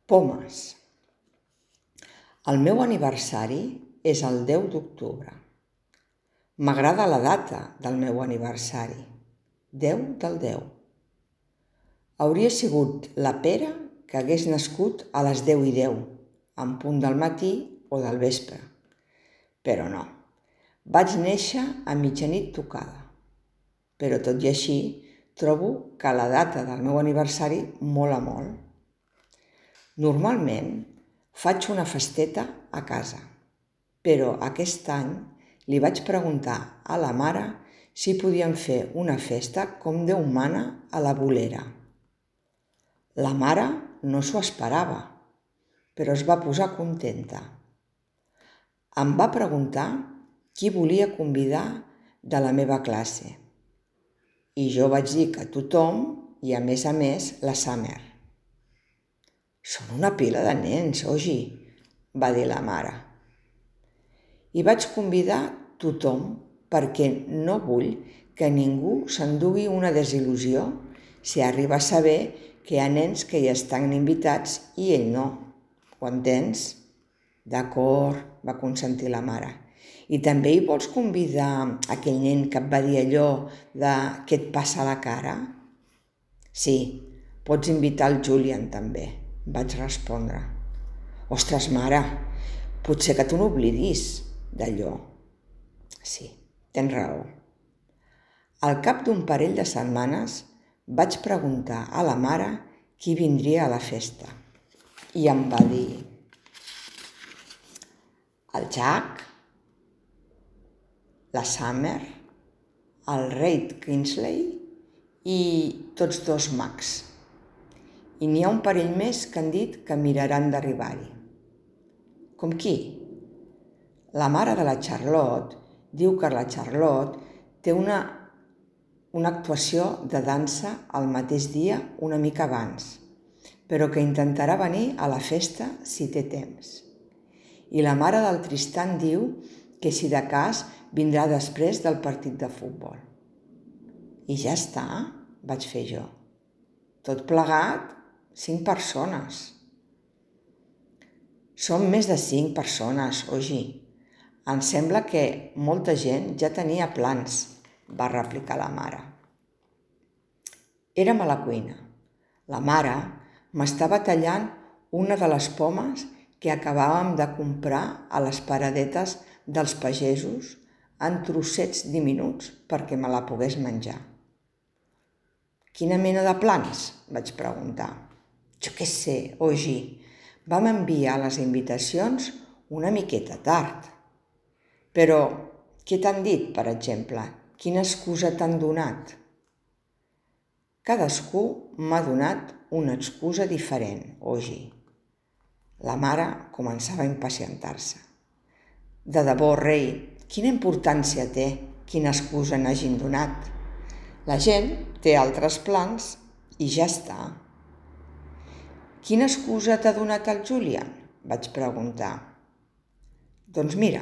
Pomes. El meu aniversari és el 10 d'octubre. M'agrada la data del meu aniversari, 10 del 10. Hauria sigut la Pere que hagués nascut a les 10:10, en punt del matí o del vespre. Però no, vaig néixer a mitjanit tocada. Però tot i així, trobo que la data del meu aniversari mola molt. Normalment faig una festeta a casa, però aquest any li vaig preguntar a la mare si podíem fer una festa com Déu mana a la bolera. La mare no s'ho esperava, però es va posar contenta. Em va preguntar qui volia convidar de la meva classe i jo vaig dir que tothom i a més la Summer. «Són una pila de nens, Ogi», va dir la mare. I vaig convidar tothom perquè no vull que ningú s'endugui una desil·lusió si arriba a saber que hi ha nens que hi estan invitats i ell no. Ho entens? D'acord, va consentir la mare. I també hi vols convidar aquell nen que et va dir allò de què et passa a la cara? Sí, pots invitar el Julian també, vaig respondre. Ostres, mare, potser que tu n'oblidis d'allò. Sí, tens raó. Al cap d'un parell de setmanes vaig preguntar a la mare qui vindria a la festa i em va dir el Jack, la Summer, el Reid Kingsley i tots dos mags. I n'hi ha un parell més que han dit que miraran d'arribar-hi. Com qui? La mare de la Charlotte diu que la Charlotte té una actuació de dansa el mateix dia una mica abans, però que intentarà venir a la festa si té temps. I la mare del Tristan diu que si de cas vindrà després del partit de futbol. I ja està, vaig fer jo. Tot plegat, 5 persones. Som més de 5 persones, Ogi. Em sembla que molta gent ja tenia plans, va replicar la mare. Érem a la cuina. La mare m'estava tallant una de les pomes que acabàvem de comprar a les paradetes dels pagesos en trossets diminuts perquè me la pogués menjar. Quina mena de plans? Vaig preguntar. Jo què sé, Ogi, vam enviar les invitacions una miqueta tard. Però què t'han dit, per exemple? Quina excusa t'han donat? Cadascú m'ha donat una excusa diferent, Ogi. La mare començava a impacientar-se. De debò, rei, quina importància té quina excusa n'hagin donat? La gent té altres plans i ja està. Quina excusa t'ha donat el Julian? Vaig preguntar. Doncs mira,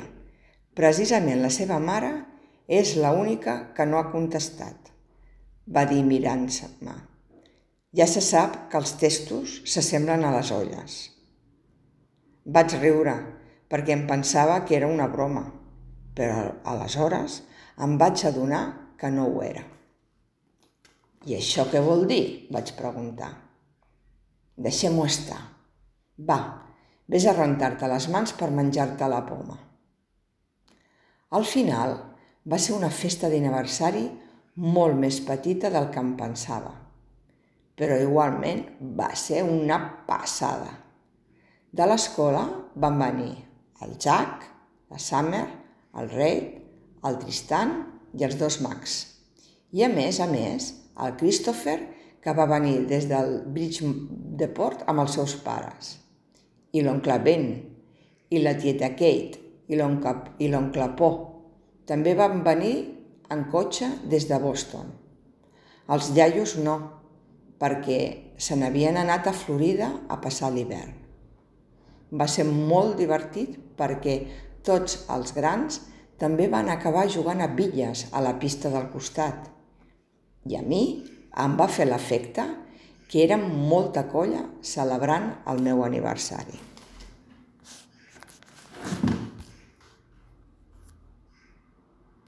precisament la seva mare és l'única que no ha contestat, va dir mirant-me. Ja se sap que els testos s'assemblen a les olles. Vaig riure perquè em pensava que era una broma, però aleshores em vaig adonar que no ho era. I això què vol dir? Vaig preguntar. Deixem-ho estar. Va, vés a rentar-te les mans per menjar-te la poma. Al final va ser una festa d'aniversari molt més petita del que em pensava, però igualment va ser una passada. De l'escola van venir el Jack, la Summer, el Reid, el Tristan i els 2 mags. I a més, el Christopher, que va venir des del Bridgeport amb els seus pares, i l'oncle Ben, i la tieta Kate, i l'oncle Po. També van venir en cotxe des de Boston. Els iaios no, perquè se n'havien anat a Florida a passar l'hivern. Va ser molt divertit perquè tots els grans també van acabar jugant a bitlles a la pista del costat. I a mi em va fer l'efecte que érem molta colla celebrant el meu aniversari.